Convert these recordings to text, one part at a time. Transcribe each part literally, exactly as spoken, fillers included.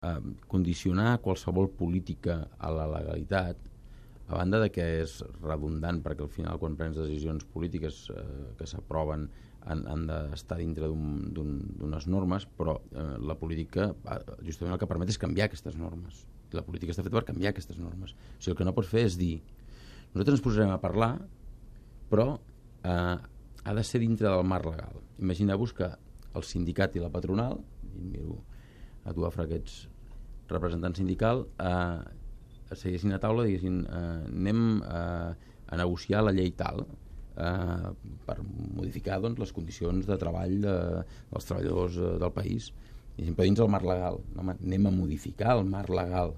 eh, condicionar qualsevol política a la legalitat, a banda de que és redundant, perquè al final quan prens decisions polítiques eh, que s'aproven han, han d'estar dintre d'unes normes, però eh, la política justament el que permet és canviar aquestes normes. La política està feta per canviar aquestes normes. O sigui, el que no pots fer és dir nosaltres ens posarem a parlar, però eh, ha de ser dintre del marc legal. Imagineu-vos que el sindicat i la patronal, i miro a tu, Afra, que ets representant sindical, eh, seguessin a taula i diguessin eh, anem eh, a negociar la llei tal eh, per modificar doncs, les condicions de treball de, dels treballadors eh, del país, i sempre dins el marc legal. No, anem a modificar el marc legal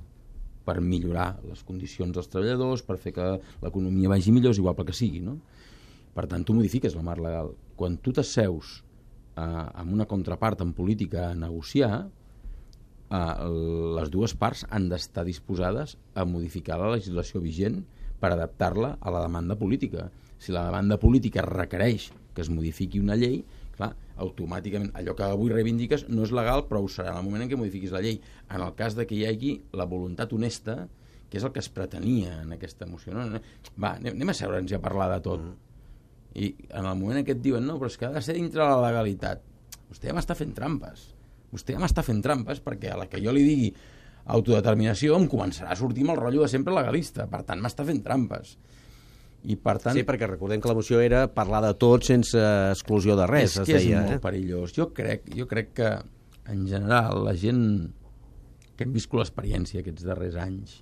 per millorar les condicions dels treballadors, per fer que l'economia vagi millor, és igual pel que sigui, no? Per tant, tu modifiques el marc legal. Quan tu t'asseus eh, amb una contrapart en política a negociar, Uh, les dues parts han d'estar disposades a modificar la legislació vigent per adaptar-la a la demanda política. Si la demanda política requereix que es modifiqui una llei, clar, automàticament allò que avui reivindiques no és legal, però ho serà en el moment en què modifiquis la llei. En el cas de que hi hagi la voluntat honesta, que és el que es pretenia en aquesta moció. No? Va, anem, anem a seure'ns i a parlar de tot. I en el moment en què et diuen no, però és que ha de ser dintre la legalitat, vostè ja m'està fent trampes. Vostè ja m'està fent trampes perquè a la que jo li digui autodeterminació em començarà a sortir amb el rotllo de sempre legalista. Per tant, m'està fent trampes. I per tant... Sí, perquè recordem que la moció era parlar de tot sense exclusió de res, és es que deia. És molt eh? perillós. Jo crec, jo crec que, en general, la gent que hem viscut l'experiència aquests darrers anys,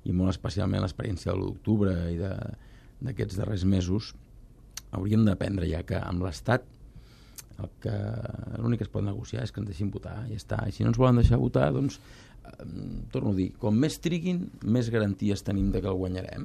i molt especialment l'experiència de l'u d'octubre i d'aquests darrers mesos, hauríem d'aprendre ja que amb l'Estat el que l'únic que es pot negociar és que ens deixin votar, i ja està. I si no ens volen deixar votar, doncs, eh, torno a dir, com més triguin, més garanties tenim de que el guanyarem.